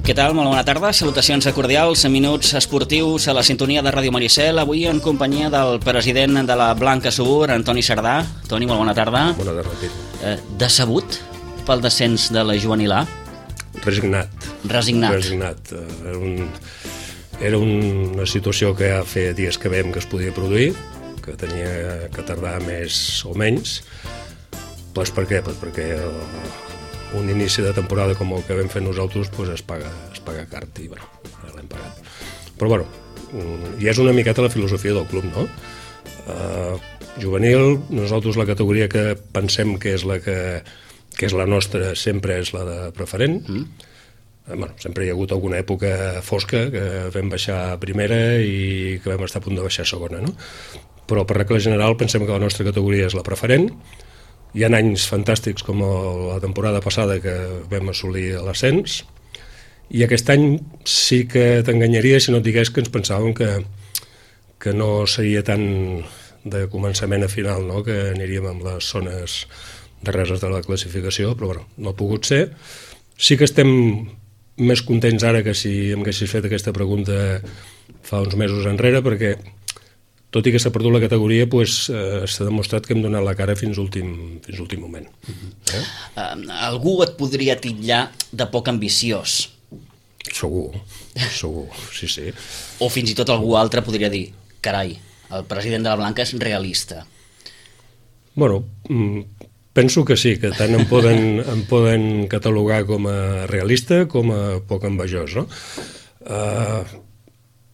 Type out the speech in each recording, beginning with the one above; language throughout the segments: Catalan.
Què tal? Molt bona tarda. Salutacions cordials, minuts esportius a la sintonia de Ràdio Maricel. Avui en companyia del president de la Blanca Subur, Antoni Sardà. Toni, molt bona tarda. Bona tarda, Tito. Decebut pel descens de la Juvenil A? Resignat. Resignat. Era una situació que ja feia dies que veiem que es podia produir, que tenia que tardar més o menys. Pues per què? Pues perquè un inici de temporada com el que vam fer nosaltres pues es paga cart i bueno, l'hem pagat. Però bueno, i és una miqueta la filosofia del club, no? Juvenil, nosaltres la categoria que pensem que és la nostra sempre és la de preferent. Bueno, sempre hi ha hagut alguna època fosca que vam baixar a primera i que vam estar a punt de baixar a segona, no? Però per regla general pensem que la nostra categoria és la preferent. Hi ha anys fantàstics com la temporada passada que vam assolir l'ascens i aquest any sí que t'enganyaria si no et digués que ens pensàvem que no seria tan de començament a final, no? Que aniríem amb les zones darreres de la classificació, però bueno, no ha pogut ser. Sí que estem més contents ara que si em haguessis fet aquesta pregunta fa uns mesos enrere, perquè tot i que s'ha perdut la categoria, pues, s'ha demostrat que hem donat la cara fins l'últim moment. Algú et podria titllar de poc ambiciós. Segur, sí. O fins i tot algú altre podria dir, carai, el president de la Blanca és realista. Bueno, penso que sí, que tant em poden catalogar com a realista com a poc envejós, no?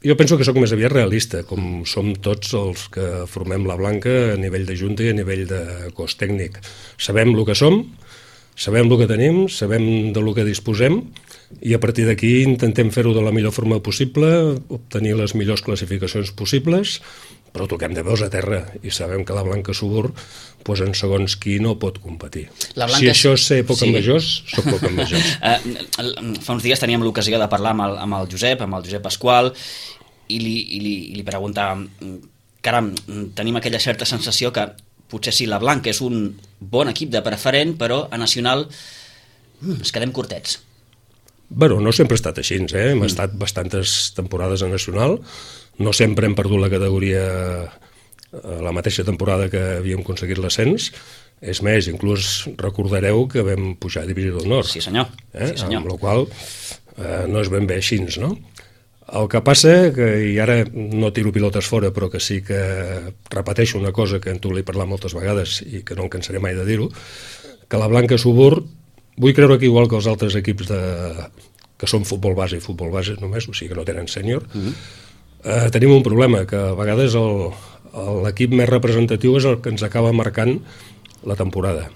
Jo penso que sóc més aviat realista, com som tots els que formem la Blanca a nivell de junta i a nivell de cos tècnic. Sabem el que som, sabem el que tenim, sabem de lo que disposem i a partir d'aquí intentem fer-ho de la millor forma possible, obtenir les millors classificacions possibles, però toquem de peus a terra i sabem que la Blanca Subur pues, en segons qui no pot competir. Si això és ser poc envejós, soc poc envejós. Fa uns dies teníem l'ocasió de parlar amb el Josep Pasqual, i li preguntàvem, caram, tenim aquella certa sensació que potser sí, la Blanca és un bon equip de preferent, però a nacional ens quedem curtets. Bueno, no sempre ha estat així, hem estat bastantes temporades a nacional, no sempre hem perdut la categoria la mateixa temporada que havíem aconseguit l'ascens, és més, inclús recordareu que vam pujar a Divisió d'Honor. Sí senyor. Amb la qual no és ben bé així, no? El que passa, i ara no tiro pilotes fora, però que sí que repeteixo una cosa que en tu l'he parlat moltes vegades i que no em cansaré mai de dir-ho, que la Blanca Subur, vull creure que igual que els altres equips que són futbol base i futbol base només, o sigui que no tenen sènior, tenim un problema, que a vegades l'equip més representatiu és el que ens acaba marcant la temporada.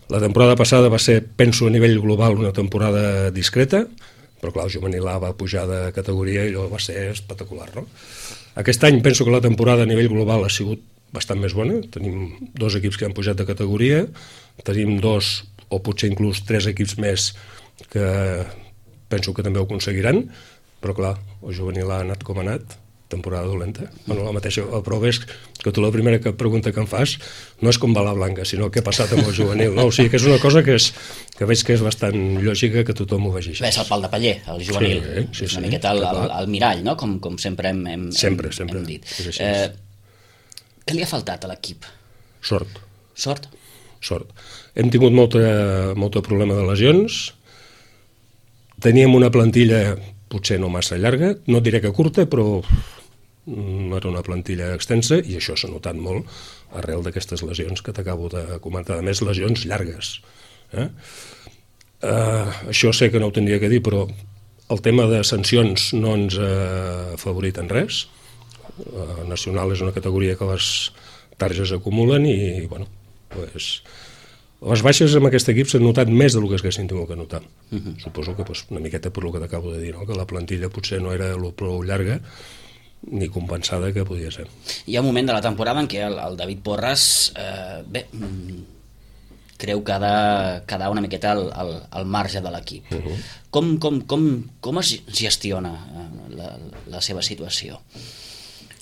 La temporada passada va ser, penso, a nivell global una temporada discreta, però clar, el Juvenil A va pujar de categoria i allò va ser espectacular, no? Aquest any penso que la temporada a nivell global ha sigut bastant més bona, tenim 2 equips que han pujat de categoria, tenim 2 o potser inclús 3 equips més que penso que també ho aconseguiran, però clar, el Juvenil A ha anat com ha anat, temporada dolenta. Bueno, la mateixa, però ves que tu la primera pregunta que em fas no és com va la Blanca, sinó què ha passat amb el Juvenil, no? O sigui que és una cosa que veig que és bastant lògica que tothom ho vegi així. És el pal de paller, el Juvenil. Sí, una miqueta el mirall, no? Com sempre hem dit. Què li ha faltat a l'equip? Sort. Hem tingut molta problema de lesions, teníem una plantilla potser no massa llarga, no diré que curta, però no era una plantilla extensa i això s'ha notat molt arrel d'aquestes lesions que t'acabo de comentar, a més lesions llargues. Això sé que no ho tindria que dir, però el tema de sancions no ens ha afavorit en res. Nacional és una categoria que les targes acumulen i bueno, les baixes amb aquest equip s'han notat més del que s'haguessin tingut que notar. Suposo que una miqueta per el que t'acabo de dir, que la plantilla potser no era prou llarga ni compensada que podia ser. Hi ha un moment de la temporada en què el David Porras creu que ha de quedar una miqueta al marge de l'equip. Com es gestiona la seva situació?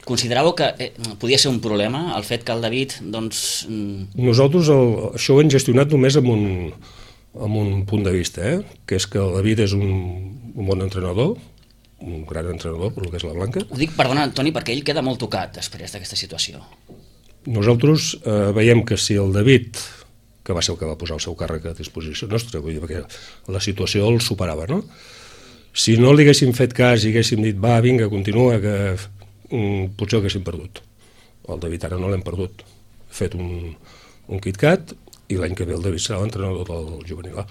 Consideràveu que podia ser un problema el fet que el David, doncs... Nosaltres això ho hem gestionat només amb amb un punt de vista, que és que el David és un bon entrenador, un gran entrenador, per el que és la Blanca. Ho dic, perdona, Toni, perquè ell queda molt tocat després d'aquesta situació. Nosaltres veiem que si el David, que va ser el que va posar el seu càrrec a disposició nostra, vull dir, perquè la situació el superava, no? Si no li haguéssim fet cas i haguéssim dit, va, vinga, continua, que potser ho haguéssim perdut. El David ara no l'hem perdut. Ha fet un KitKat i l'any que ve el David serà l'entrenador del juvenil A.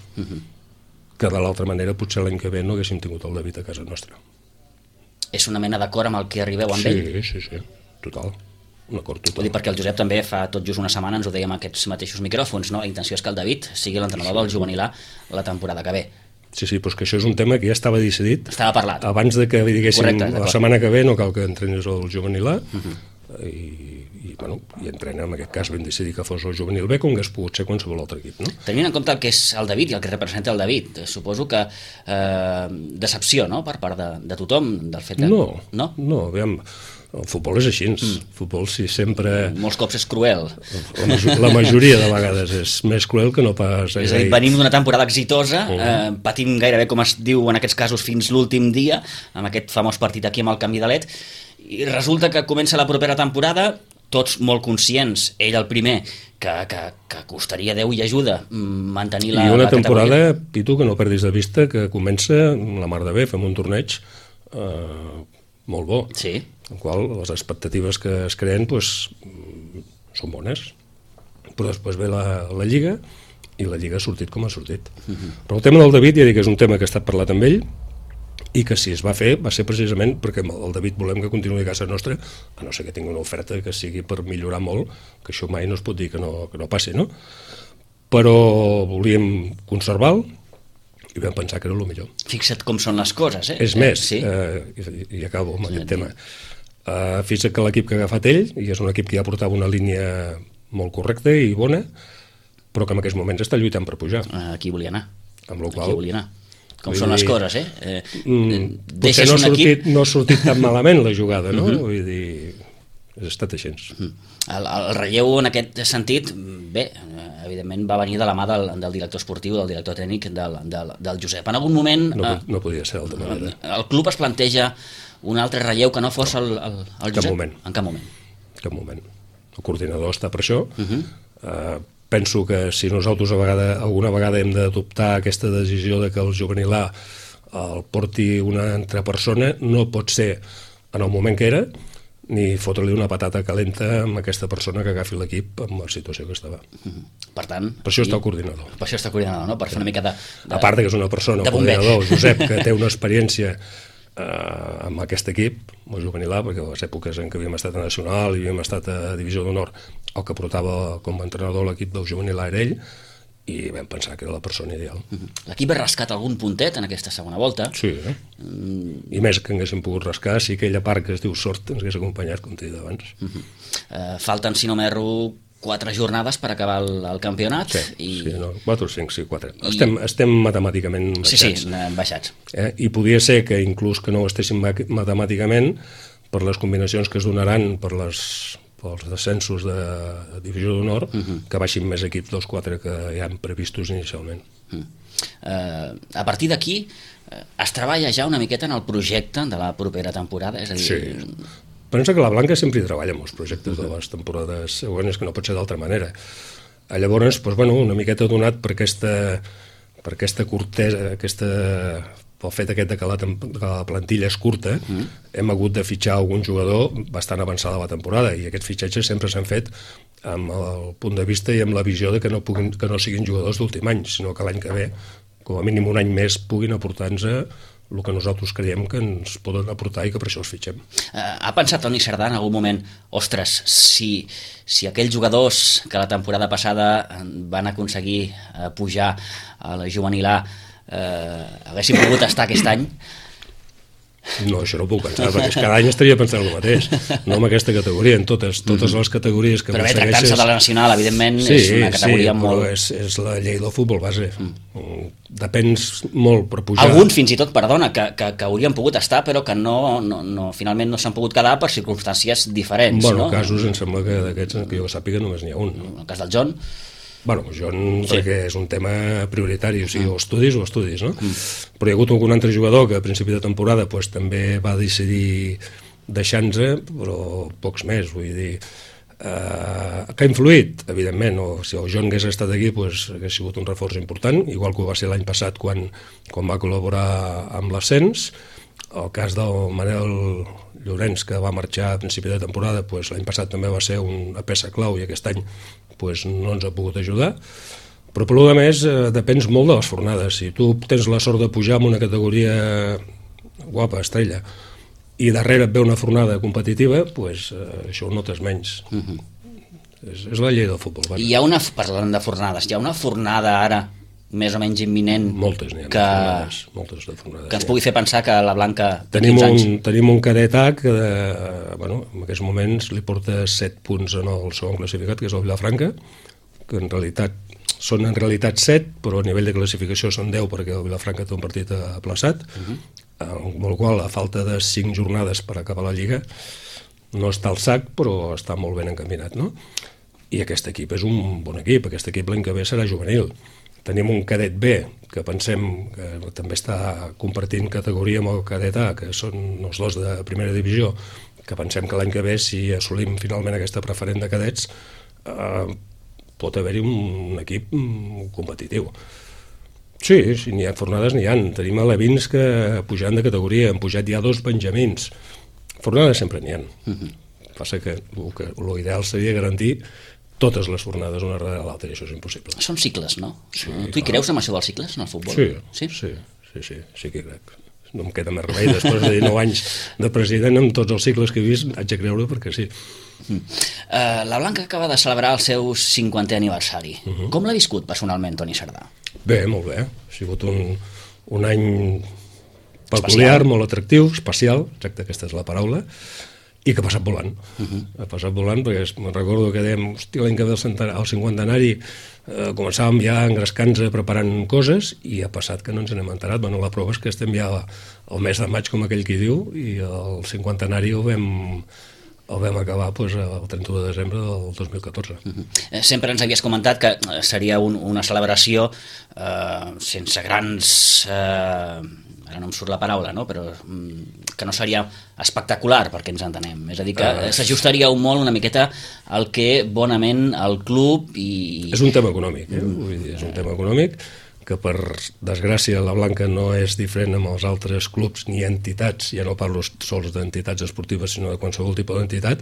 Que de l'altra manera potser l'any que ve no haguéssim tingut el David a casa nostra. És una mena d'acord amb el que arribeu amb ell? Sí, total. Un acord total. Vull dir, perquè el Josep també fa tot just una setmana ens ho dèiem a aquests mateixos micròfons, no? La intenció és que el David sigui l'entrenador del juvenil A la temporada que ve. Sí, però és que això és un tema que ja estava decidit. Estava parlat. Abans de que li diguéssim correcte, la setmana que ve no cal que entrenis el juvenil A, i entrena, en aquest cas vam decidir que fos el juvenil B, com que hagués pogut ser qualsevol altre equip, no? Tenint en compte el que és el David i el que representa el David, suposo que decepció, no?, per part de tothom del fet de... No, aviam, el futbol és així, el futbol sí sempre... Molts cops és cruel. La majoria de vegades és més cruel que no pas... És a dir, venim d'una temporada exitosa, patint gairebé, com es diu en aquests casos, fins l'últim dia, amb aquest famós partit aquí amb el Camp Vidalet, i resulta que comença la propera temporada, tots molt conscients, ell el primer, que costaria Déu i ajuda mantenir la categoria. I una temporada, Pitu, que no perdis de vista, que comença la mar de bé, fem un torneig molt bo, sí, en qual les expectatives que es creen són bones, però després ve la Lliga i la Lliga ha sortit com ha sortit. Però el tema del David ja dic que és un tema que ha estat parlat amb ell i que si es va fer va ser precisament perquè el David volem que continuï a casa nostra, a no ser que tingui una oferta que sigui per millorar molt, que això mai no es pot dir que no passi, no? Però volíem conservar-lo i vam pensar que era el millor. Fixa't com són les coses, És més, sí. I acabo amb aquest tema. Fixa't que l'equip que ha agafat ell, i és un equip que ja portava una línia molt correcta i bona, però que en aquests moments està lluitant per pujar. Aquí volia anar. Amb la qual... Aquí volia anar. Com són les coses, potser no ha sortit tan malament la jugada, no? Vull dir, ha estat així. El relleu en aquest sentit, bé, evidentment va venir de la mà del director esportiu, del director tècnic, del Josep. En algun moment... No podia ser d'altra manera. El club es planteja un altre relleu que no fos el Josep? En cap moment. Cap moment. El coordinador està per això. Penso que si nosaltres alguna vegada hem d'adoptar aquesta decisió de que el juvenil A el porti una altra persona, no pot ser en el moment que era, ni fotre-li una patata calenta amb aquesta persona que agafi l'equip amb la situació que estava. Per tant... Per això està el coordinador. Per això està el coordinador, no? Per fer una mica de... A part que és una persona, el coordinador, Josep, que té una experiència amb aquest equip, el juvenil A, perquè a les èpoques en què havíem estat a Nacional i havíem estat a Divisió d'Honor, el que portava com a entrenador l'equip del juvenil A era ell, i vam pensar que era la persona ideal. L'equip ha rascat algun puntet en aquesta segona volta? Sí, i més que haguéssim pogut rascar si aquella part que es diu sort ens hagués acompanyat, com t'he dit abans. Falten, si no m'erro, 4 jornades per acabar el campionat. Sí, 4 o 5, sí, 4. Estem matemàticament baixats. Sí, baixats. I podia ser que inclús que no ho estéssim matemàticament, per les combinacions que es donaran pels descensos de Divisió d'Honor, que baixin més equips dels 4 que hi han previstos inicialment. A partir d'aquí, es treballa ja una miqueta en el projecte de la propera temporada? És a dir... Sí. Pensa que la Blanca sempre hi treballa amb els projectes de les temporades següents, que no pot ser d'altra manera. Llavors, una miqueta donat per aquesta curtesa, pel fet aquest que la plantilla és curta, hem hagut de fitxar algun jugador bastant avançada la temporada, i aquests fitxatges sempre s'han fet amb el punt de vista i amb la visió de que no siguin jugadors d'últim any, sinó que l'any que ve, com a mínim un any més, puguin aportar-nos el que nosaltres creiem que ens poden aportar i que per això els fitxem. Ha pensat Toni Cerdà en algun moment, ostres, si aquells jugadors que la temporada passada van aconseguir pujar a la juvenil A haguessin pogut estar aquest any? No, això no ho puc pensar, perquè cada any estaria pensant el mateix, no en aquesta categoria, en totes les categories que però bé, tractant-se de la nacional, evidentment, és una categoria molt... Sí, però és la llei del futbol base. Depens molt per pujar. Alguns, fins i tot, perdona, que haurien pogut estar, però que finalment no s'han pogut quedar per circumstàncies diferents. Casos, em sembla que d'aquests, que jo sàpiga, només n'hi ha un. En el cas del John... Bueno, perquè és un tema prioritari, o sigui, o estudis, no? Però hi ha hagut algun altre jugador que a principi de temporada també va decidir deixar-nos, però pocs més, vull dir... que ha influït, evidentment, si el John hagués estat aquí hagués sigut un reforç important, igual que ho va ser l'any passat quan va col·laborar amb l'ascens. El cas del Manel Llorenç, que va marxar a principi de temporada, l'any passat també va ser una peça clau i aquest any no ens ha pogut ajudar. Però per a més depens molt de les fornades. Si tu tens la sort de pujar en una categoria guapa, estrella, i darrere et ve una fornada competitiva, això ho notes menys. És la llei del futbol. Parlant de fornades, hi ha una fornada ara més o menys imminent moltes de fornades que ens pugui fer pensar que la Blanca tenim un cadet A que en aquests moments li porta 7 punts en el segon classificat, que és el Vilafranca, que en realitat són 7, però a nivell de classificació són 10 perquè el Vilafranca té un partit aplaçat, amb el qual a falta de 5 jornades per acabar la Lliga no està al sac, però està molt ben encaminat, no? I aquest equip és un bon equip. Aquest equip l'any que ve serà juvenil. Tenim un cadet B, que pensem que també està compartint categoria amb el cadet A, que són els dos de primera divisió, que pensem que l'any que ve, si assolim finalment aquesta preferent de cadets, pot haver-hi un equip competitiu. Sí, n'hi ha fornades, n'hi ha. Tenim alevins que pujaran de categoria, han pujat ja 2 benjamins. Fornades sempre n'hi ha. Passa que l'ideal seria garantir totes les fornades una darrere l'altra, i això és impossible. Són cicles, no? Sí, tu hi creus amb això dels cicles en el futbol? Sí que hi crec. No em queda més remei, després de 19 anys de president, amb tots els cicles que he vist, haig de creure perquè sí. La Blanca acaba de celebrar el seu 50è aniversari. Com l'ha viscut personalment, Toni Cerdà? Bé, molt bé. Ha sigut un any peculiar, molt atractiu, especial, exacte, aquesta és la paraula, i que ha passat volant. Ha passat volant perquè me'n recordo que dèiem, hòstia, l'any que ve el 50enari començàvem ja engrescant-nos preparant coses i ha passat que no ens n'hem enterat. Bueno, la prova és que estem ja al mes de maig, com aquell qui diu, i el 50enari el vam acabar el 31 de desembre del 2014. Sempre ens havies comentat que seria una celebració sense grans... ara no em surt la paraula, no? Però que no seria espectacular, perquè ens entenem. És a dir, que s'ajustaria molt una miqueta al que bonament el club i... És un tema econòmic, vull dir, és un tema econòmic que per desgràcia la Blanca no és diferent amb els altres clubs ni entitats, ja no parlo sols d'entitats esportives sinó de qualsevol tipus d'entitat,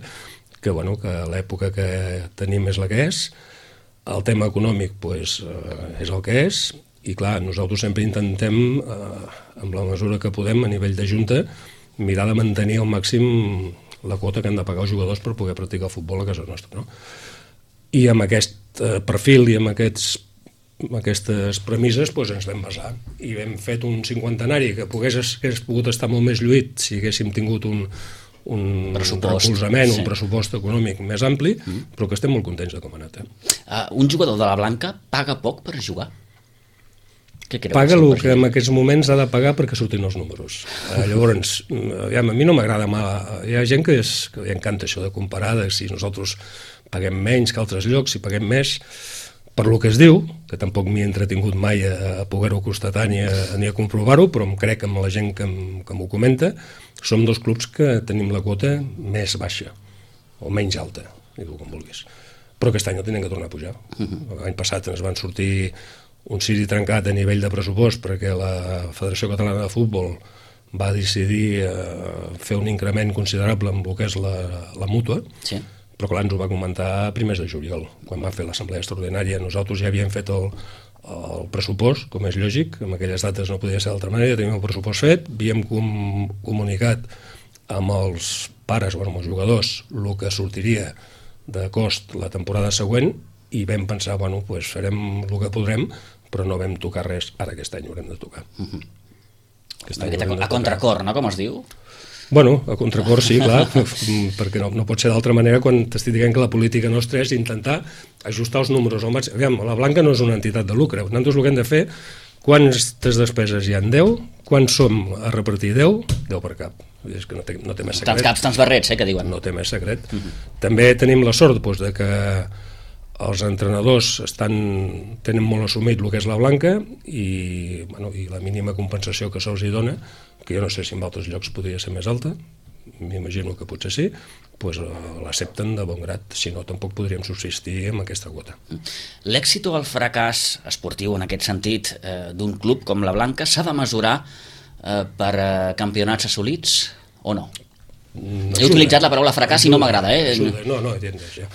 que l'època que tenim és la que és, el tema econòmic és el que és, i clar, nosaltres sempre intentem, amb la mesura que podem a nivell de junta, mirar de mantenir al màxim la quota que han de pagar els jugadors per poder practicar futbol a casa nostra, no? I amb aquest perfil i amb aquestes premisses ens vam basar i hem fet un 50enari que hagués pogut estar molt més lluït si haguéssim tingut un recolzament, un pressupost econòmic més ampli, però que estem molt contents de com ha anat. Un jugador de la Blanca paga poc per jugar? Paga el que en aquests moments ha de pagar perquè surtin els números. Llavors, a mi no m'agrada mal. Hi ha gent que li encanta això de comparar, de si nosaltres paguem menys que altres llocs, si paguem més, per lo que es diu, que tampoc m'hi he entretingut mai a poder-ho constatar ni a comprovar-ho, però em crec amb la gent que m'ho comenta, som dos clubs que tenim la quota més baixa, o menys alta, digue-ho com vulguis. Però aquest any no tenen que tornar a pujar. L'any passat ens van sortir un ciri trencat a nivell de pressupost perquè la Federació Catalana de Futbol va decidir fer un increment considerable amb el que és la mútua, però clar, ens ho va comentar a primers de juliol, quan va fer l'assemblea extraordinària. Nosaltres ja havíem fet el pressupost, com és lògic, en aquelles dates no podia ser d'altra manera, teníem el pressupost fet, havíem comunicat amb els pares, amb els jugadors, el que sortiria de cost la temporada següent, i vam pensar, farem el que podrem, però no vam tocar res. Ara aquest any haurem de tocar. A contracor, no?, com es diu? Bueno, a contracor sí, clar, perquè no pot ser d'altra manera quan t'estic dient que la política nostra és intentar ajustar els números al màxim. Aviam, la Blanca no és una entitat de lucre. Nosaltres el que hem de fer, quantes despeses hi ha? 10? Quants som a repartir? 10? 10 per cap. És que no té més secret. Tants caps, tants barrets, que diuen. No té més secret. També tenim la sort de que els entrenadors tenen molt assumit el que és la blanca i la mínima compensació que se'ls hi dona, que jo no sé si en altres llocs podria ser més alta, m'imagino que potser sí, doncs l'accepten de bon grat, si no tampoc podríem subsistir amb aquesta quota. L'èxit o el fracàs esportiu en aquest sentit d'un club com la Blanca s'ha de mesurar per campionats assolits o no? He utilitzat la paraula fracàs i no m'agrada. Ajuda, no, entiendes, ja.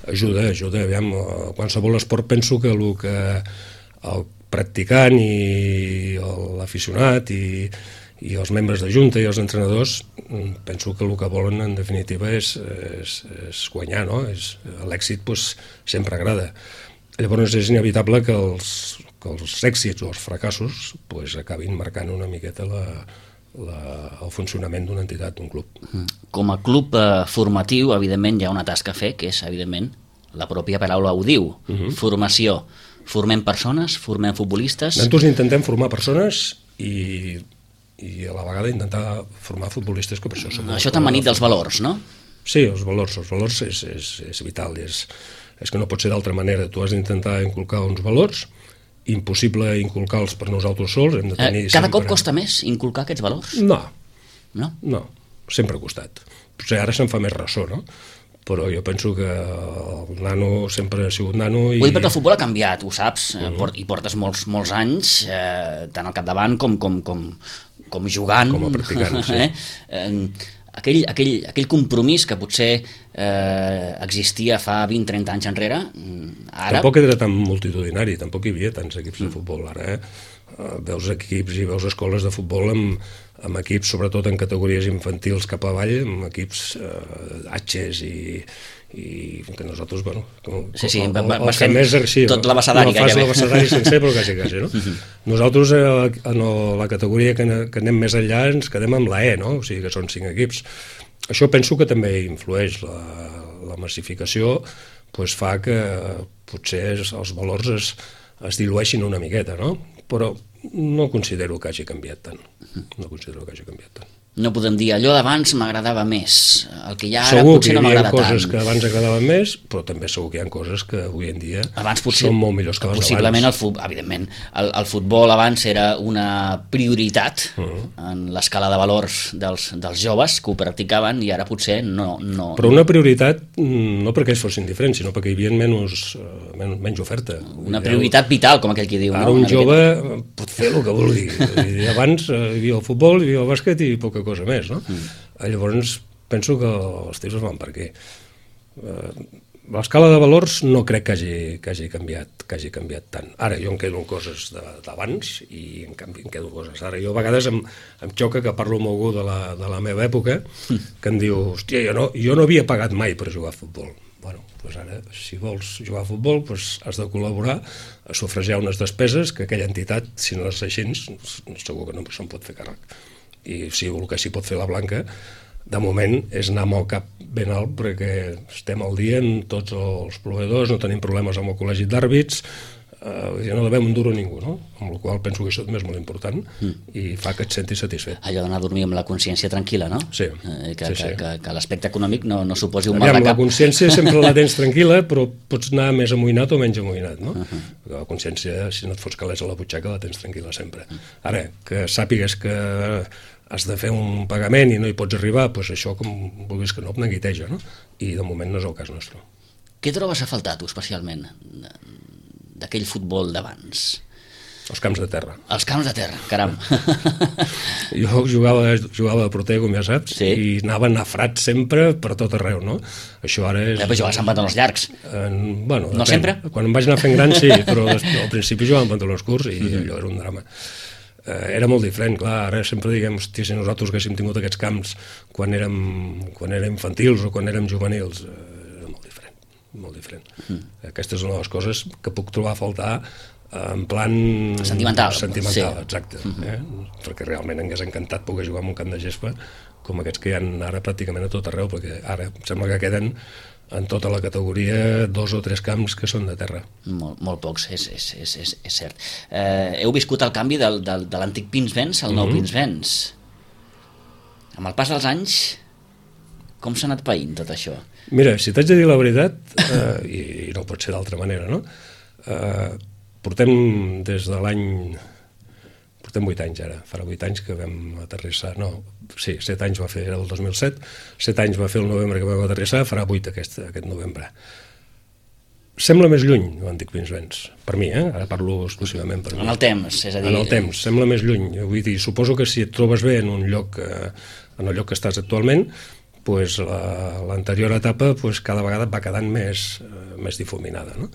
Ajuda, aviam, qualsevol esport penso que el practicant i l'aficionat i els membres de junta i els entrenadors penso que el que volen en definitiva és guanyar, no? L'èxit sempre agrada. Llavors és inevitable que els èxits o els fracassos acabin marcant una miqueta el funcionament d'una entitat, d'un club. Com a club formatiu, evidentment, hi ha una tasca a fer, que és, evidentment, la pròpia paraula ho diu, formació. Formem persones, formem futbolistes... Nosaltres intentem formar persones i a la vegada intentar formar futbolistes, que per això som... Això t'han manit dels valors, no? Sí, els valors és vital, és que no pot ser d'altra manera. Tu has d'intentar inculcar uns valors, impossible inculcar-los per nosaltres sols, hem de tenir... Cada cop costa més inculcar aquests valors? No, no, sempre ha costat. Potser ara se'n fa més ressò, no? Però jo penso que el nano sempre ha sigut nano i... Vull dir perquè el futbol ha canviat, ho saps, i portes molts anys, tant al capdavant com jugant. Com a practicant, sí. Aquell compromís que potser existia fa 20-30 anys enrere, ara... Tampoc era tan multitudinari, tampoc hi havia tants equips de futbol. Ara veus equips i veus escoles de futbol amb equips, sobretot en categories infantils cap avall, amb equips H's i que nosaltres, bueno... Sí, vas fent tot l'abecedari gairebé. No fas l'abecedari sencer, però quasi, no? Nosaltres, en la categoria que anem més enllà, ens quedem amb la E, no? O sigui que són 5 equips. Això penso que també influeix. La massificació fa que potser els valors es dilueixin una miqueta, no? Però no considero que hagi canviat tant. No podem dir, allò d'abans m'agradava més, el que hi ha ara potser no m'agrada tant. Segur que hi havia coses que abans agradaven més, però també segur que hi ha coses que avui en dia són molt millors que les d'abans. Possiblement, evidentment, el futbol abans era una prioritat en l'escala de valors dels joves que ho practicaven i ara potser no... Però una prioritat no perquè ells fossin diferents, sinó perquè hi havia menys oferta. Una prioritat vital, com aquell que diu. Ara un jove pot fer el que vulgui. Abans hi havia el futbol, hi havia el bàsquet i poca cosa més, no? Llavors penso que els tios es van per aquí. L'escala de valors no crec que hagi canviat tant. Ara jo em quedo en coses d'abans i en canvi em quedo coses d'ara. Jo a vegades em xoca que parlo amb algú de la meva època que em diu, hòstia, jo no havia pagat mai per jugar a futbol. Bueno, doncs ara, si vols jugar a futbol, has de col·laborar a sufragar unes despeses que aquella entitat, si no és així, segur que no se'n pot fer càrrec. I si el que s'hi pot fer la Blanca, de moment, és anar amb el cap ben alt perquè estem al dia en tots els proveïdors, no tenim problemes amb el col·legi d'àrbits, no devem un duro a ningú, no? Amb la qual penso que això també és molt important i fa que et sentis satisfet. Allò d'anar a dormir amb la consciència tranquil·la, no? Sí. Que l'aspecte econòmic no suposi un mal de cap. La consciència sempre la tens tranquil·la, però pots anar més amoïnat o menys amoïnat, no? La consciència, si no et fots calés a la butxaca, la tens tranquil·la sempre. Ara, que sàpigues que has de fer un pagament i no hi pots arribar, doncs això, com vulguis que no, et neguiteja, no? I de moment no és el cas nostre. Què trobes a faltar, tu, especialment, d'aquell futbol d'abans? Els camps de terra. Els camps de terra, caram. Jo jugava de porter, com ja saps, i anava nafrat sempre per tot arreu, no? Això ara és... Però jugaves amb pantalons llargs. Bueno, no sempre? Quan em vaig anar fent gran, sí, però al principi jugava amb pantalons curts i allò era un drama. Era molt diferent, clar, ara sempre diguem, hòstia, si nosaltres haguéssim tingut aquests camps quan érem infantils o quan érem juvenils, era molt diferent. Aquesta és una de les coses que puc trobar a faltar en plan... Sentimental, sí. Exacte. Perquè realment m'hagués encantat poder jugar en un camp de gespa com aquests que hi ha ara pràcticament a tot arreu, perquè ara em sembla que queden en tota la categoria 2 o 3 camps que són de terra. Molt pocs, és cert. Heu viscut el canvi de l'antic Pinsbens al nou Pinsbens. Amb el pas dels anys, Com s'ha anat païnt tot això? Mira, si t'haig de dir la veritat, i no pot ser d'altra manera, no? Portem des de l'any... Portem 8 anys ara, farà 8 anys que vam aterrissar, no, sí, 7 anys va fer, era el 2007, 7 anys va fer el novembre que vam aterrissar, farà 8 aquest novembre. Sembla més lluny, l'antic Pinsbens, per mi, ara parlo exclusivament per mi. En el temps, és a dir... En el temps, sembla més lluny. Vull dir, suposo que si et trobes bé en un lloc, en el lloc que estàs actualment, pues l'anterior etapa pues, cada vegada va quedant més difuminada, no?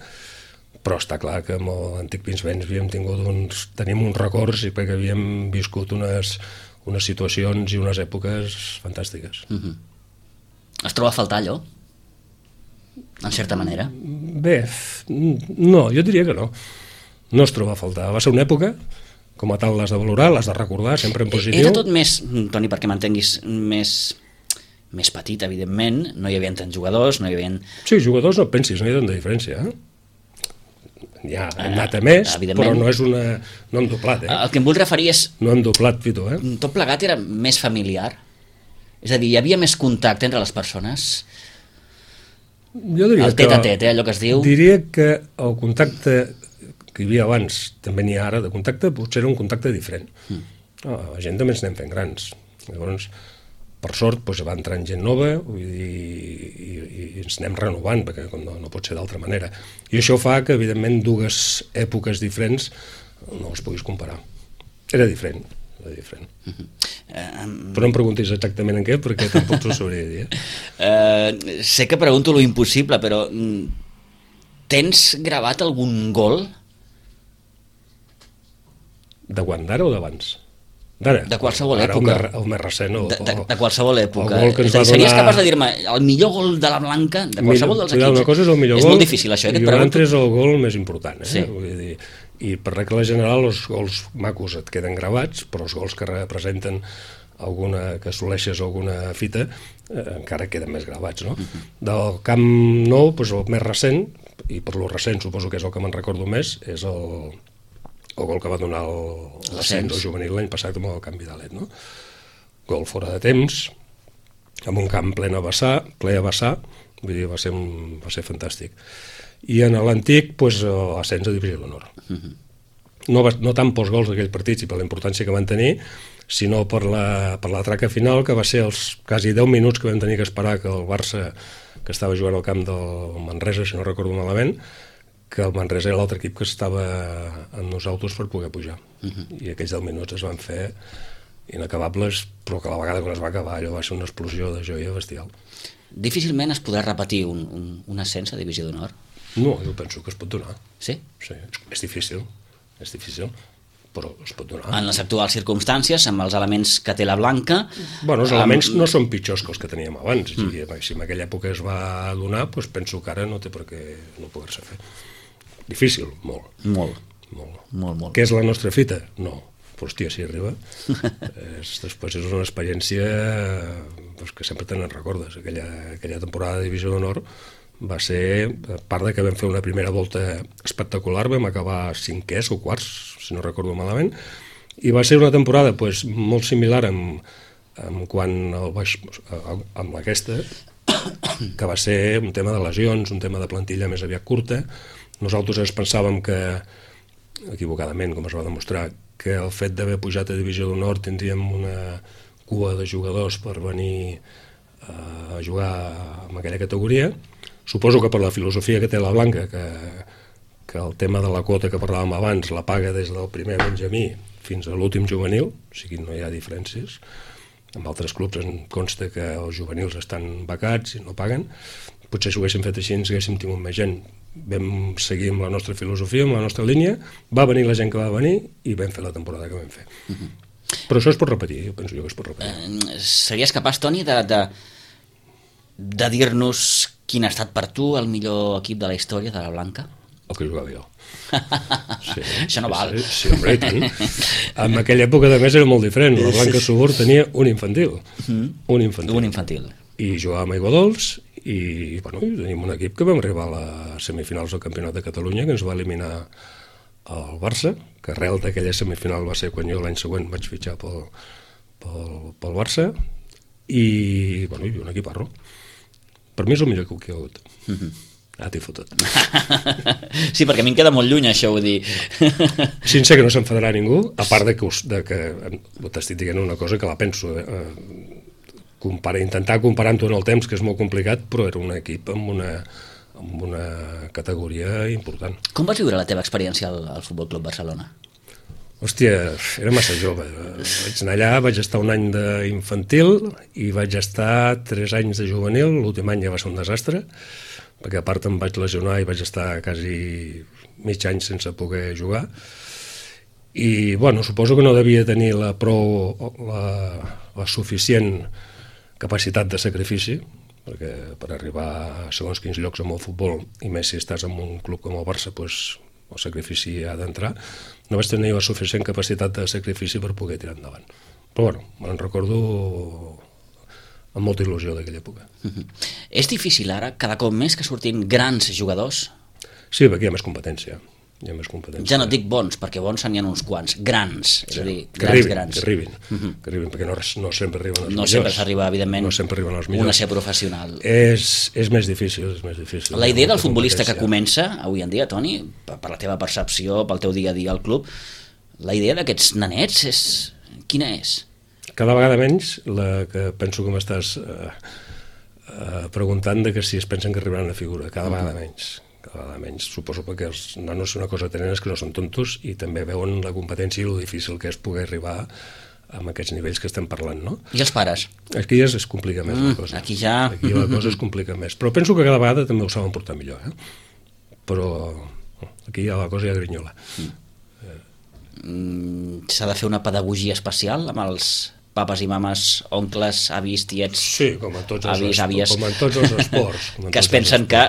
Però està clar que amb l'antic Pinsbens tenim uns records i perquè havíem viscut unes situacions i unes èpoques fantàstiques. Es troba a faltar allò? En certa manera? Bé, no, jo diria que no. No es troba a faltar. Va ser una època, com a tal l'has de valorar, l'has de recordar, sempre en positiu. Era tot més, Toni, perquè m'entenguis, més petit, evidentment, no hi havia tants jugadors, no hi havia... Sí, jugadors no pensis, no hi ha tanta diferència, N'hi ha anat a més, però no és una... No hem doblat, El que em vull referir és... No hem doblat, Vito, Tot plegat era més familiar? És a dir, hi havia més contacte entre les persones? Jo diria el tet-a-tet, allò que es diu... Diria que el contacte que hi havia abans, també n'hi ha ara, de contacte, potser era un contacte diferent. La gent també ens anem fent grans. Llavors, per sort, doncs, va entrant gent nova i ens anem renovant, perquè no pot ser d'altra manera. I això fa que, evidentment, dues èpoques diferents no les puguis comparar. Era diferent. Però no em preguntis exactament en què, perquè tampoc t'ho sabria dir. Sé que pregunto lo impossible, però tens gravat algun gol? De quan, d'ara o d'abans? D'ara? De qualsevol època. El més recent. De qualsevol època. Series capaç de dir-me el millor gol de la Blanca, de qualsevol dels equips? Una cosa és el millor gol. És molt difícil, això, i l'altre és el gol més important. Sí. Vull dir, i per regla general els gols macos et queden gravats, però els gols que representen que assoleixes alguna fita encara queden més gravats, no? Del Camp Nou, doncs el més recent, i per lo recent suposo que és el que me'n recordo més, és el gol que va donar l'ascens al juvenil l'any passat amb el canvi d'alet, no? Gol fora de temps, amb un camp ple a vessar, vull dir, va ser fantàstic. I en l'antic, doncs, l'ascens a divisió d'honor. No tant pels gols d'aquell partit i per la importància que van tenir, sinó per la traca final, que va ser els quasi 10 minuts que vam tenir que esperar que el Barça, que estava jugant al camp del Manresa, si no recordo malament, que el Manresa era l'altre equip que estava amb nosaltres per poder pujar. I aquells 10 minuts es van fer inacabables, però que a la vegada quan es va acabar allò va ser una explosió de joia bestial. Difícilment es podrà repetir un ascens a divisió d'honor? No, jo penso que es pot donar. Sí? Sí, és difícil, però es pot donar. En les actuals circumstàncies, amb els elements que té la Blanca... Bueno, els elements no són pitjors que els que teníem abans. Si en aquella època es va donar, doncs penso que ara no té per què no poder-se fer. Difícil, molt. Molt. Què és la nostra fita? No. Però, hòstia, si arriba. Després és una experiència que sempre te n'en recordes. Aquella temporada de Divisió d'Honor va ser, a part de que vam fer una primera volta espectacular, vam acabar 5è o 4º, si no recordo malament, i va ser una temporada molt similar amb aquesta, que va ser un tema de lesions, un tema de plantilla més aviat curta. Nosaltres ens pensàvem que, equivocadament, com es va demostrar, que el fet d'haver pujat a Divisió d'Honor tindríem una cua de jugadors per venir a jugar en aquella categoria. Suposo que per la filosofia que té la Blanca, que el tema de la quota que parlàvem abans la paga des del primer benjamí fins a l'últim juvenil, o sigui, no hi ha diferències. En altres clubs em consta que els juvenils estan becats i no paguen. Potser si ho haguéssim fet així ens haguéssim tingut més gent. Vam seguir amb la nostra filosofia, amb la nostra línia, va venir la gent que va venir i vam fer la temporada que vam fer. Però això es pot repetir, jo penso que es pot repetir. Series capaç, Toni, de dir-nos quin ha estat per tu el millor equip de la història de la Blanca? El que jugava jo. Sí, això no val. Sí, home, i tant. En aquella època, de més, era molt diferent. La Blanca Subur tenia un infantil. Un infantil. I jugàvem a Iguadols i tenim un equip que vam arribar a les semifinals del Campionat de Catalunya, que ens va eliminar el Barça, que arrel d'aquella semifinal va ser quan jo l'any següent vaig fitxar pel Barça, i un equiparro. Per mi és el millor que hi ha hagut. T'hi fotut. Sí, perquè a mi em queda molt lluny això, vull dir. Sí, sé que no s'enfadarà ningú, a part de que t'estic dient una cosa que la penso, intentar comparar-ho en el temps, que és molt complicat, però era un equip amb una categoria important. Com vas viure la teva experiència al Futbol Club Barcelona? Hòstia, era massa jove. Vaig anar allà, vaig estar un any d'infantil i vaig estar 3 anys de juvenil. L'últim any ja va ser un desastre, perquè a part em vaig lesionar i vaig estar quasi mig any sense poder jugar. I, bueno, suposo que no devia tenir la suficient capacitat de sacrifici, perquè per arribar a segons quins llocs amb el futbol, i més si estàs en un club com el Barça, doncs el sacrifici ha d'entrar. No vaig tenir la suficient capacitat de sacrifici per poder tirar endavant. Però bueno, me'n recordo amb molta il·lusió d'aquella època. És difícil ara, cada cop més, que surtin grans jugadors? Sí, perquè hi ha més competència. Ja no dic bons, perquè bons n'hi ha uns quants, grans, és a dir, que arribin, perquè no sempre arriben els millors. No sempre s'arriba, evidentment, no sempre arriben els millors. Una ser professional. És més difícil, La idea del futbolista que comença avui en dia, Toni, per la teva percepció, pel teu dia a dia al club, la idea d'aquests nanets quina és? Cada vegada menys, la que penso que m'estàs preguntant de que si es pensen que arribaran a figura, cada vegada menys. Suposo perquè els nanos una cosa tenen és que no són tontos i també veuen la competència i el difícil que és poder arribar amb aquests nivells que estem parlant, no? I els pares? Aquí ja es complica més la cosa. Aquí la cosa es complica més. Però penso que cada vegada també ho saben portar millor, Però aquí ja la cosa ja grinyola. S'ha de fer una pedagogia especial amb els papes i mames, oncles, avis, tiets... Sí, com en tots els esports. Que es pensen que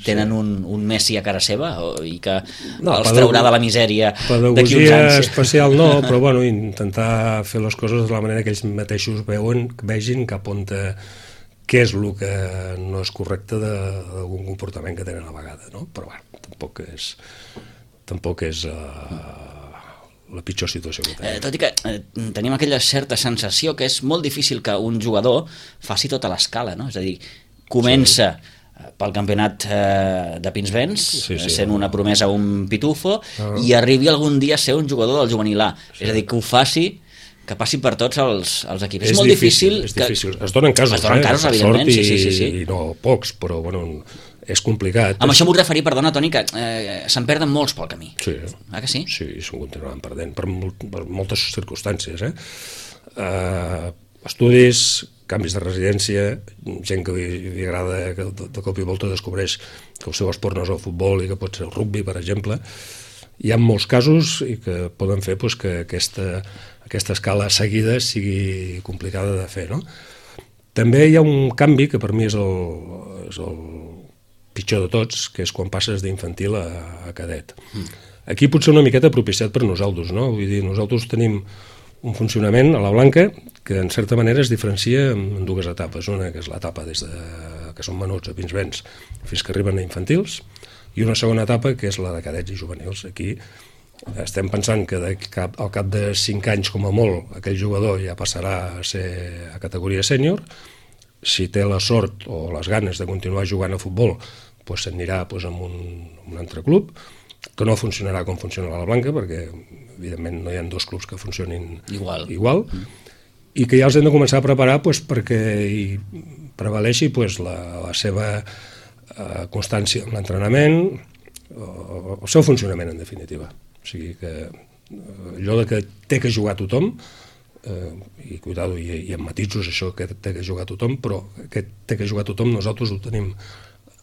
tenen un Messi a cara seva i que els traurà de la misèria d'aquí uns anys. Pedagogia especial no, però bueno, intentar fer les coses de la manera que ells mateixos vegin cap on què és el que no és correcte d'algun comportament que tenen a vegada, no? Però bueno, tampoc és la pitjor situació que tenim. Tot i que tenim aquella certa sensació que és molt difícil que un jugador faci tota l'escala, no? És a dir, comença pel campionat de Pinsbens, sent una promesa, un pitufo, i arribi algun dia a ser un jugador del juvenil A. És a dir, que ho faci, que passi per tots els equips. És molt difícil. És difícil. Es donen casos, evidentment, sí. I no pocs, però bueno, és complicat. Amb això vull referir, perdona, Toni, que se'n perden molts pel camí. Sí. Que sí? Sí, se'n continuen perdent per moltes circumstàncies. Estudis, canvis de residència, gent que li agrada, que de cop i volta descobreix que el seu esport no és el futbol i que pot ser el rugby, per exemple. Hi ha molts casos i que poden fer que aquesta escala seguida sigui complicada de fer, no? També hi ha un canvi que per mi és el pitjor de tots, que és quan passes d'infantil a cadet. Aquí potser una miqueta propiciat per nosaltres, no? Vull dir, nosaltres tenim un funcionament a la Blanca que en certa manera es diferencia en dues etapes. Una que és l'etapa des que són menuts a Pinsbens fins que arriben a infantils, i una segona etapa que és la de cadets i juvenils. Aquí estem pensant que al cap de 5 anys com a molt aquell jugador ja passarà a ser a categoria sènior. Si té la sort o les ganes de continuar jugant a futbol, doncs s'anirà amb un altre club, que no funcionarà com funciona la Blanca, perquè evidentment no hi ha dos clubs que funcionin igual. I que ja els hem de començar a preparar perquè hi prevaleixi la seva constància en l'entrenament, el seu funcionament, en definitiva. O sigui que allò de que té que jugar tothom, i cuidado, i amb matisos això que té que jugar tothom, però que té que jugar tothom nosaltres ho tenim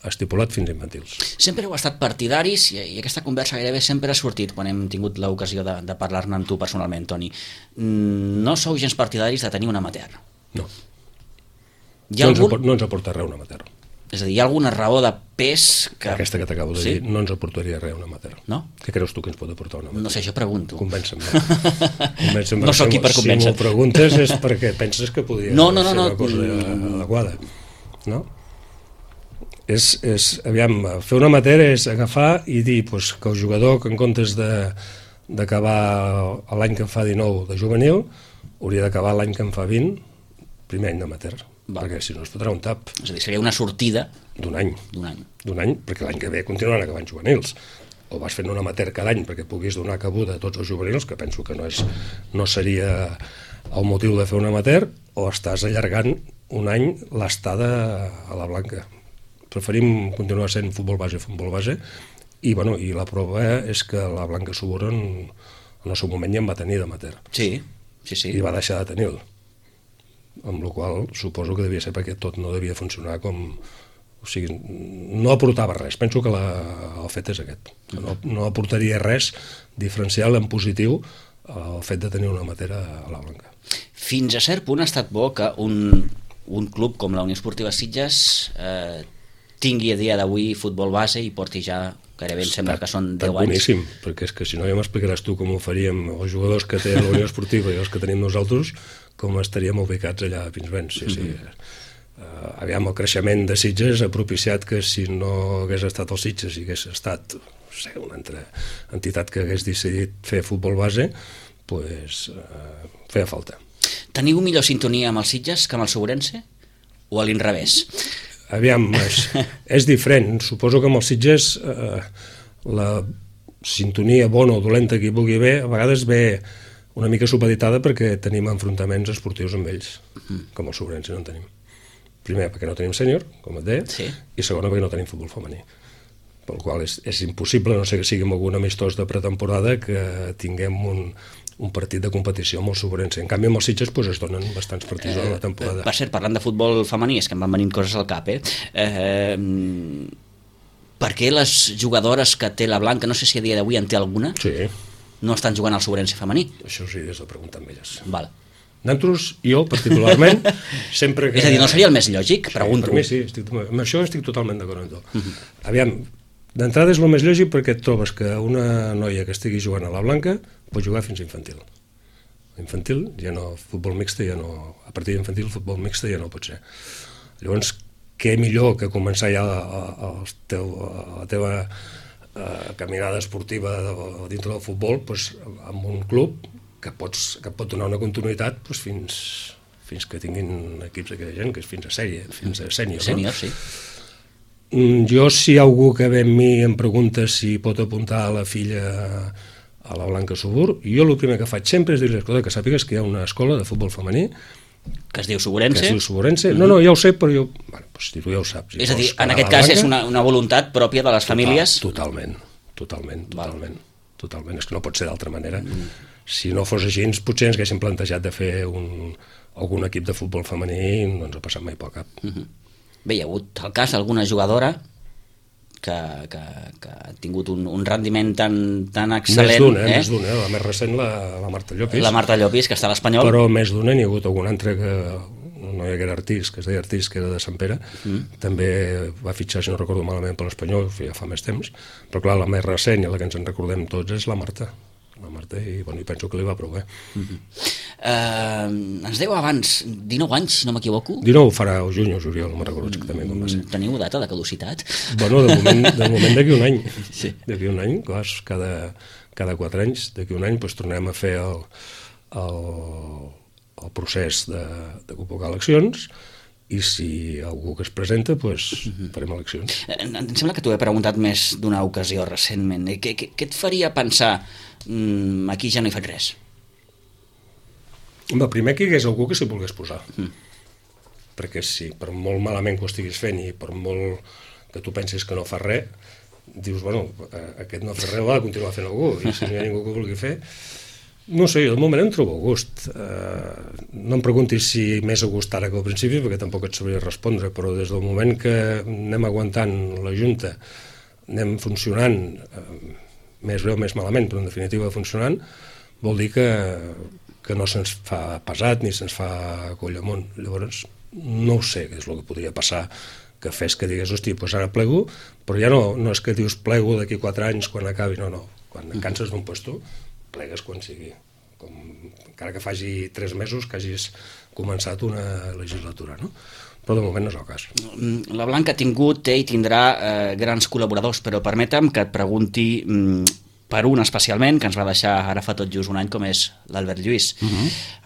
estipulat fins a infantils. Sempre heu estat partidaris, i aquesta conversa gairebé sempre ha sortit quan hem tingut l'ocasió de parlar-ne amb tu personalment, Toni. No sou gens partidaris de tenir un amateur? No. No ens aporta res un amateur. És a dir, hi ha alguna raó de pes que... Aquesta que t'acabo de dir, no ens aportaria res un amateur. No? Què creus tu que ens pot aportar un amateur? No sé, jo pregunto. Convença'm. No sóc aquí per convèncer. Si m'ho preguntes és perquè penses que podria ser una cosa adequada. No? Aviam, fer un amateur és agafar i dir que el jugador, que en comptes d'acabar l'any que en fa 19 de juvenil, hauria d'acabar l'any que en fa 20 primer any d'amateur, perquè si no es fotrà un tap. És a dir, seria una sortida d'un any, perquè l'any que ve continuaran acabant juvenils. O vas fent un amateur cada any perquè puguis donar cabuda a tots els juvenils, que penso que no seria el motiu de fer un amateur, o estàs allargant un any l'estada a la Blanca. Preferim continuar sent futbol base, i la prova és que la Blanca Subur en el seu moment ja en va tenir d'amateur. Sí. I va deixar de tenir-lo. Amb la qual suposo que devia ser perquè tot no devia funcionar com... O sigui, no aportava res. Penso que el fet és aquest. No aportaria res diferencial en positiu el fet de tenir una matera a la Blanca. Fins a cert punt ha estat bo que un club com la Unió Esportiva Sitges tingui a dia d'avui futbol base i porti ja gairebé em sembla que són 10 anys. Boníssim, perquè és que si no ja m'explicaràs tu com ho faríem els jugadors que té la Unió Esportiva i els que tenim nosaltres, com estaríem ubicats allà a Pinsbens. Sí. Aviam, el creixement de Sitges ha propiciat que si no hagués estat els Sitges i hagués estat una altra entitat que hagués decidit fer futbol base, doncs feia falta. Teniu millor sintonia amb els Sitges que amb el Segurense? O a l'inrevés? Aviam, és diferent. Suposo que amb els Sitges la sintonia bona o dolenta que hi pugui haver a vegades ve una mica supeditada perquè tenim enfrontaments esportius amb ells, com el Segurense no en tenim. Primer, perquè no tenim sènior, com et deia, i segona, perquè no tenim futbol femení. Pel qual és impossible, no sé que sigui amb algun amistós de pretemporada, que tinguem un partit de competició amb el Segurense. En canvi, amb els Sitges es donen bastants partits a la temporada. Per cert, parlant de futbol femení, és que em van venint coses al cap, per què les jugadores que té la Blanca, no sé si a dia d'avui en té alguna, no estan jugant al Segurense femení? Això sí, és de preguntar amb elles. Val. Nosaltres, jo particularment, sempre que... És a dir, no seria el més lògic? Pregunto. Per mi sí, amb això estic totalment d'acord amb tu. Aviam, d'entrada és el més lògic perquè et trobes que una noia que estigui jugant a la Blanca pot jugar fins a infantil. Infantil, ja no, futbol mixte, ja no... A partir d'infantil, futbol mixte ja no pot ser. Llavors, què millor que començar ja la teva caminada esportiva dintre del futbol amb un club que pot donar una continuïtat fins que tinguin equips d'aquella gent, que és fins a sèrie, fins a sènior. Sènior, sí. Jo, si hi ha algú que ve amb mi i em pregunta si pot apuntar a la filla a la Blanca Subur, jo el primer que faig sempre és dir-li, escolta, que sàpigues que hi ha una escola de futbol femení que es diu Segurense. No, ja ho sé, però jo... si tu ja ho saps. És a dir, en aquest cas és una voluntat pròpia de les famílies? Totalment. És que no pot ser d'altra manera. Si no fos així, potser ens haguéssim plantejat de fer algun equip de futbol femení i no ens ha passat mai pel cap. Bé, hi ha hagut el cas d'alguna jugadora que ha tingut un rendiment tan excel·lent. Més d'una, la més recent, la Marta Llopis. La Marta Llopis, que està a l'Espanyol. Però més d'una n'hi ha hagut algun altre que... una noia que era Artís, que es deia Artís, que era de Sant Pere, també va fitxar, si no recordo malament, per l'Espanyol, ja fa més temps, però clar, la més recent i la que ens en recordem tots és la Marta, i penso que li va prou bé. Ens dèieu abans 19 anys, si no m'equivoco? 19 farà el juny o juliol, no me'n recordo exactament com va ser. Teniu data de caducitat? Bueno, de moment d'aquí un any. D'aquí un any, cada 4 anys, d'aquí un any tornem a fer el procés de convocar eleccions i si algú que es presenta, farem eleccions. Em sembla que t'ho he preguntat més d'una ocasió recentment. Què et faria pensar aquí ja no hi faig res? Primer que hi hagués algú que s'hi volgués posar. Perquè si per molt malament que ho estiguis fent i per molt que tu pensis que no fa res, dius, aquest no fa res, l'ha de continuar fent algú, i si no hi ha ningú que ho vulgui fer... No sé, jo de moment em trobo a gust. No em preguntis si més a gust ara que al principi, perquè tampoc et sabria respondre, però des del moment que anem aguantant la Junta, anem funcionant, més bé o més malament, però en definitiva funcionant, vol dir que no se'ns fa pesat ni se'ns fa coll amunt. Llavors, no ho sé què és el que podria passar que fes que digués, hosti, ara plego, però ja no és que dius plego d'aquí 4 anys quan acabi, no. Quan et canses d'un puesto, plegues quan sigui, encara que faci 3 mesos que hagis començat una legislatura, no? Però de moment no és el cas. La Blanca ha tingut, té i tindrà grans col·laboradors, però permetem que et pregunti per un especialment, que ens va deixar ara fa tot just un any, com és l'Albert Lluís.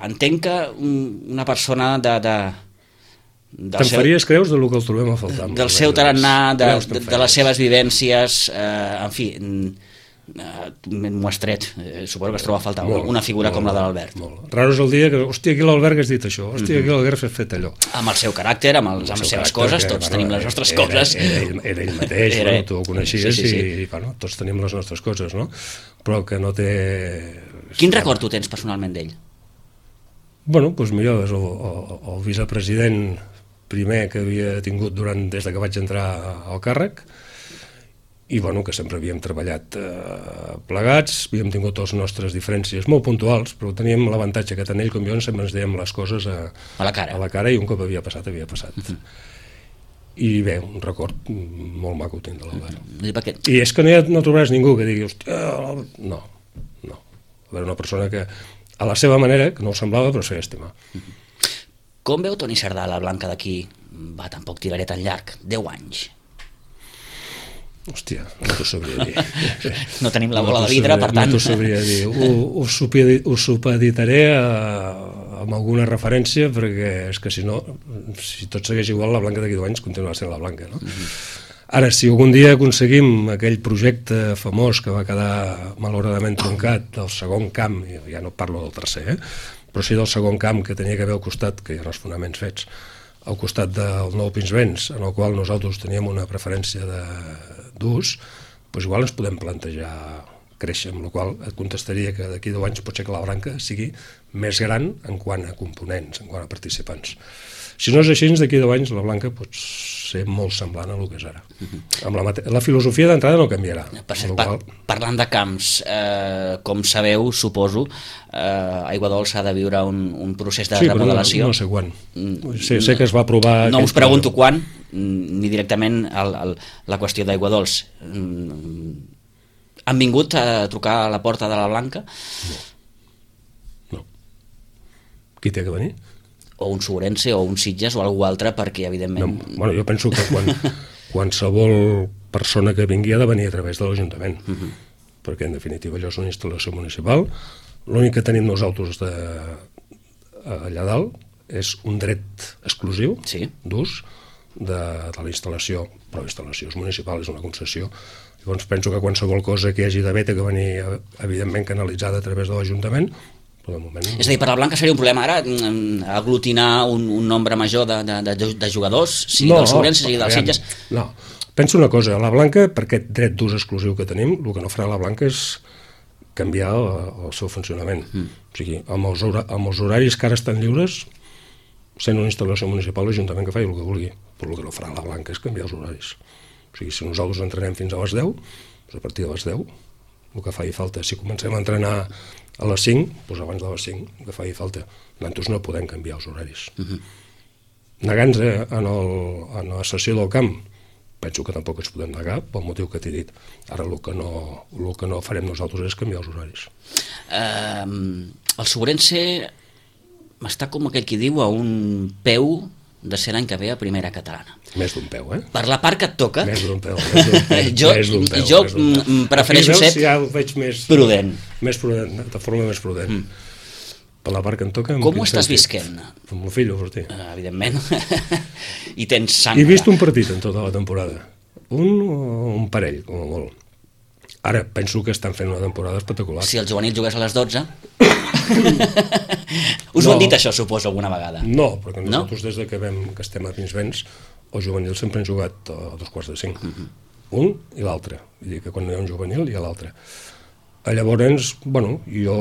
Entenc que una persona Te'n faries creus del que el trobem a faltar? Del seu tarannà, de les seves vivències, en fi, m'ho has tret. Suposo que es troba a faltar una figura com la de l'Albert. Raro és el dia que, hòstia, aquí l'Albert has dit això, hòstia, aquí l'Albert has fet allò. Amb el seu caràcter, amb les seves coses, tots tenim les nostres coses. Era ell mateix, tu ho coneixies i tots tenim les nostres coses, no? Però que no té... Quin record tu tens personalment d'ell? Bueno, doncs millor, és el vicepresident primer que havia tingut des que vaig entrar al càrrec, i bueno, que sempre havíem treballat plegats, havíem tingut les nostres diferències molt puntuals, però teníem l'avantatge que tant ell com jo sempre ens dèiem les coses a la cara, i un cop havia passat. I bé, un record molt maco tinc de l'Albert. I és que no trobaràs ningú que digui, hòstia, no. A veure, una persona que a la seva manera, que no ho semblava, però es feia estimar. Com veu Toni Cerdà la Blanca d'aquí? Tampoc tiraré tan llarg, 10 anys. Hòstia, no t'ho sabria dir. No tenim la bola de vidre, per tant. No t'ho sabria dir. Ho supeditaré amb alguna referència, perquè és que si no, si tot segueix igual, la Blanca d'aquí 10 anys continuarà sent la Blanca, no? Ara, si algun dia aconseguim aquell projecte famós que va quedar malauradament troncat, del segon camp, ja no parlo del tercer, però sí del segon camp que tenia que haver al costat, que hi ha els fonaments fets, al costat del nou Pinsbens, en el qual nosaltres teníem una preferència d'ús, doncs igual ens podem plantejar créixer, amb la qual et contestaria que d'aquí 10 anys pot ser que la Blanca sigui més gran en quant a components, en quant a participants. Si no és així, d'aquí 10 anys la Blanca pot ser molt semblant a el que és ara. La filosofia d'entrada no canviarà. Parlant de camps, com sabeu, suposo, Aiguadols ha de viure un procés de remodelació. Sí, però no sé quan. Sé que es va aprovar... No us pregunto quan, ni directament la qüestió d'Aiguadols. Han vingut a trucar a la porta de la Blanca? No. Qui té que venir? O un Sobrense o un Sitges o algú altre, perquè evidentment... Jo penso que qualsevol persona que vingui ha de venir a través de l'Ajuntament, perquè en definitiva allò és una instal·lació municipal. L'únic que tenim nosaltres allà dalt és un dret exclusiu d'ús de la instal·lació, però la instal·lació és municipal, és una concessió. Llavors penso que qualsevol cosa que hi hagi d'haver té que venir evidentment canalitzada a través de l'Ajuntament. És a dir, per la Blanca seria un problema ara aglutinar un nombre major de jugadors, sigui del Sobrense, sigui dels Sitges? No, penso una cosa, la Blanca, per aquest dret d'ús exclusiu que tenim, el que no farà la Blanca és canviar el seu funcionament. O sigui, amb els horaris que ara estan lliures, sent una instal·lació municipal, l'Ajuntament que faci el que vulgui, però el que no farà la Blanca és canviar els horaris. O sigui, si nosaltres entrenem fins a les 10, doncs a partir de les 10, el que faci falta. Si comencem a entrenar a les 5, doncs abans de les 5, el que faci falta. Nosaltres no podem canviar els horaris. Negant-nos en la sessió del camp, penso que tampoc ens podem negar pel motiu que t'he dit. Ara el que no farem nosaltres és canviar els horaris. El Sobrense està, com aquell qui diu, a un peu de ser l'any que ve a primera catalana. Més d'un peu, Per la part que et toca... Més d'un peu. Jo prefereixo ser prudent. Més prudent, de forma més prudent. Per la part que em toca... Com ho estàs visquent? Amb el fill, hosti. Evidentment. I tens sang. He vist un partit en tota la temporada. Un parell, com a molt. Ara penso que estan fent una temporada espectacular. Si el juvenil jugués a les 12... Us ho han dit això, suposo, alguna vegada? No, perquè nosaltres des de que estem a Pinsbens, els juvenils sempre han jugat a 2:45. Un i l'altre. Vull dir que quan hi ha un juvenil hi ha l'altre. Llavors, bueno, jo...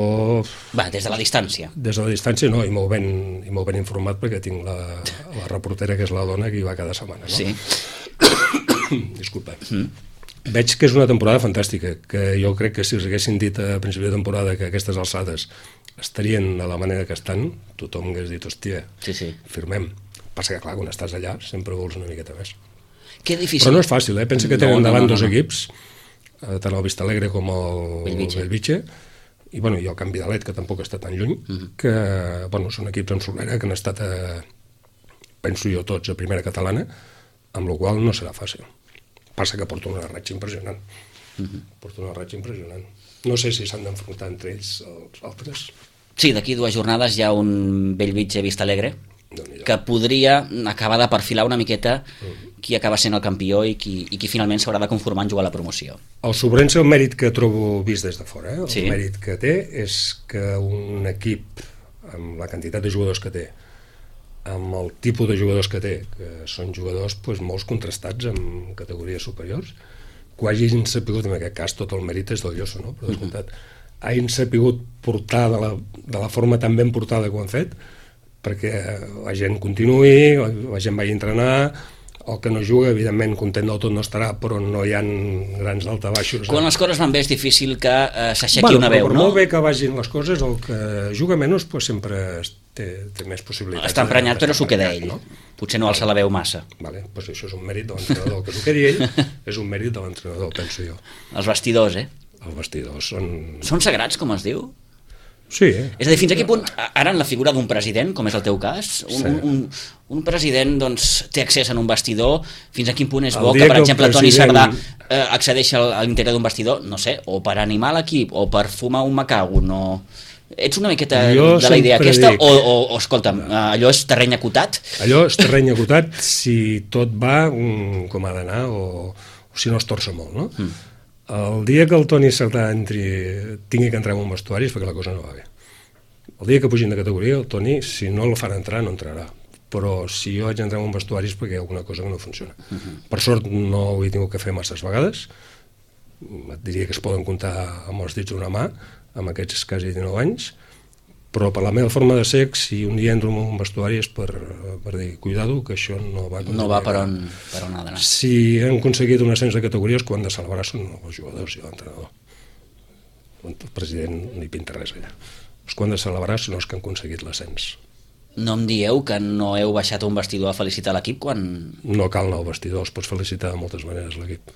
Va, des de la distància. Des de la distància no, i molt ben informat perquè tinc la reportera que és la dona que hi va cada setmana, no? Sí. Disculpa. Veig que és una temporada fantàstica, que jo crec que si us haguessin dit a principi de temporada que aquestes alçades estarien de la manera que estan, tothom hagués dit, hòstia, firmem. Passa que, clar, quan estàs allà sempre vols una miqueta més. Que difícil. Però no és fàcil, Pensa que tenen davant dos equips, tant el Vistalegre com el Bellvitge, i el Can Vidalet, que tampoc està tan lluny, que són equips amb solera que han estat, penso jo, tots a primera catalana, amb la qual no serà fàcil. Passa que porta una ratxa impressionant. Porta una ratxa impressionant. No sé si s'han d'enfrontar entre ells els altres. Sí, d'aquí 2 jornades hi ha un Bellvitge Vista Alegre que podria acabar de perfilar una miqueta qui acaba sent el campió i qui finalment s'haurà de conformar en jugar a la promoció. El Sobrense, el mèrit que trobo vist des de fora, el Sí. mèrit que té és que un equip amb la quantitat de jugadors que té, amb el tipus de jugadors que té, que són jugadors molts contrastats en categories superiors, que hagin sapigut, en aquest cas tot el mèrit és del Lloso, no? Per descomptat, hagin sapigut portar de la forma tan ben portada que ho han fet, perquè la gent continuï, la gent vagi a entrenar, el que no juga, evidentment, content del tot no estarà, però no hi ha grans daltabaixos. Quan les coses van bé és difícil que s'aixequi una veu, però no? Molt bé que vagin les coses, el que juga menys sempre té més possibilitats. Està emprenyat, però s'ho queda ell. No? Potser no alça la veu massa. Vale, doncs això és un mèrit de l'entrenador. Que s'ho quedi ell és un mèrit de l'entrenador, penso jo. Els vestidors, Els vestidors són... Són sagrats, com es diu? Sí, És a dir, fins a quin punt, ara en la figura d'un president, com és el teu cas, un president doncs, té accés a un vestidor, fins a quin punt és bo que, per exemple, Toni Cerdà accedeixi a l'interior d'un vestidor, no sé, o per animar l'equip, o per fumar un macàgon, o... Ets una miqueta de la idea aquesta, o escolta'm, allò és terreny acotat? Allò és terreny acotat si tot va com ha d'anar, o si no es torça molt, no? El dia que el Toni Cerdà tingui que entrar en un vestuari és perquè la cosa no va bé. El dia que pugin de categoria, el Toni, si no el fan entrar, no entrarà. Però si jo haig d'entrar en un vestuari és perquè hi ha alguna cosa que no funciona. Per sort no ho he tingut que fer masses vegades. Et diria que es poden comptar amb els dits d'una mà, amb aquests quasi 19 anys, però per la meva forma de ser, si un dia entro en un vestuari és per dir, cuidado, que això no va... No va per on ha d'anar. Si han aconseguit un ascens de categories, quan han de celebrar són els jugadors i l'entrenador. El president no hi pinta res allà. Els que han de celebrar són els que han aconseguit l'ascens. No em dieu que no heu baixat a un vestidor a felicitar l'equip quan... No cal anar al vestidor, els pots felicitar de moltes maneres l'equip.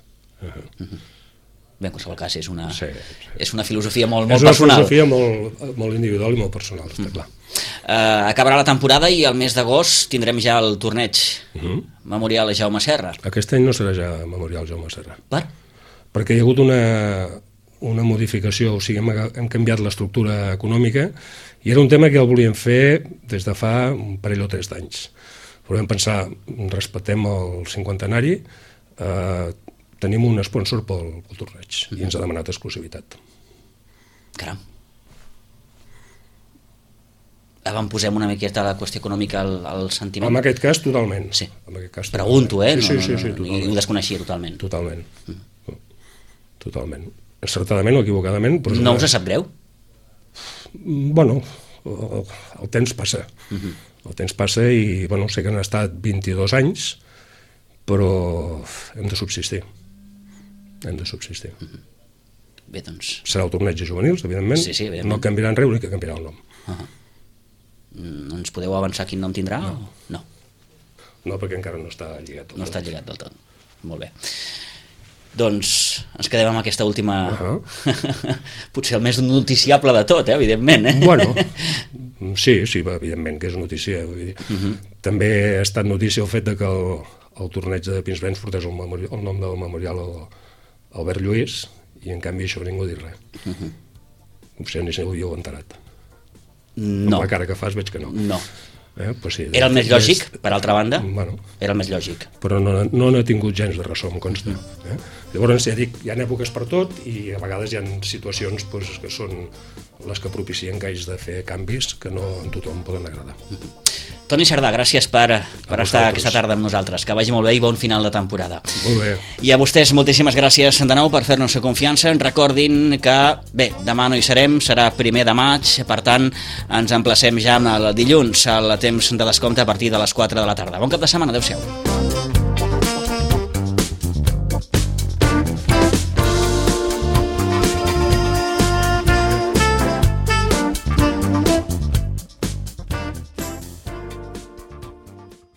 Bé, en qualsevol cas, és una filosofia molt personal. És una filosofia molt individual i molt personal, està clar. Acabarà la temporada i el mes d'agost tindrem ja el torneig Memorial Jaume Serra. Aquest any no serà ja Memorial Jaume Serra. Per? Perquè hi ha hagut una modificació, o sigui, hem canviat l'estructura econòmica i era un tema que el volíem fer des de fa un parell o 3 d'anys. Volem pensar, respectem el 50enari, tenim un sponsor pel torneig i ens ha demanat exclusivitat. Caram. Posem una miqueta la qüestió econòmica al sentiment? En aquest cas, totalment. Sí. En aquest cas, pregunto, Sí, i ho desconeixia totalment. Totalment. Encertadament o equivocadament. Però no us sap greu? Bueno, el temps passa. El temps passa i, sé que han estat 22 anys, però hem de subsistir. Bé, doncs... Serà el torneig de juvenils, evidentment. Sí, evidentment. No canviarà res, l'únic que canviarà el nom. No ens podeu avançar quin nom tindrà? No. No, perquè encara no està lligat del tot. No està lligat del tot. Molt bé. Doncs ens quedem amb aquesta última... Potser el més noticiable de tot, evidentment. Bueno, sí, evidentment que és notícia. Vull dir. També ha estat notícia el fet de que el torneig de Pinsbens portés el nom del memorial Albert Lluís i en canvi això ningú ha dit res. Potser ni se ho havíeu enterat. No. Amb la cara que fas veig que no. No. Pues sí, era el més lògic, per altra banda? Bueno, era el més lògic. Però no n'ha tingut gens de ressò, em consta. Llavors, ja dic, hi ha èpoques per tot i a vegades hi ha situacions que són les que propicien que hagis de fer canvis que no a tothom poden agradar. Toni Cerdà, gràcies per estar aquesta tarda amb nosaltres. Que vagi molt bé i bon final de temporada. Molt bé. I a vostès moltíssimes gràcies de nou per fer-nos confiança. Recordin que, bé, demà no hi serem, serà 1 de maig, per tant, ens emplacem ja el dilluns al temps de descompte a partir de les 4 de la tarda. Bon cap de setmana, adeu-siau.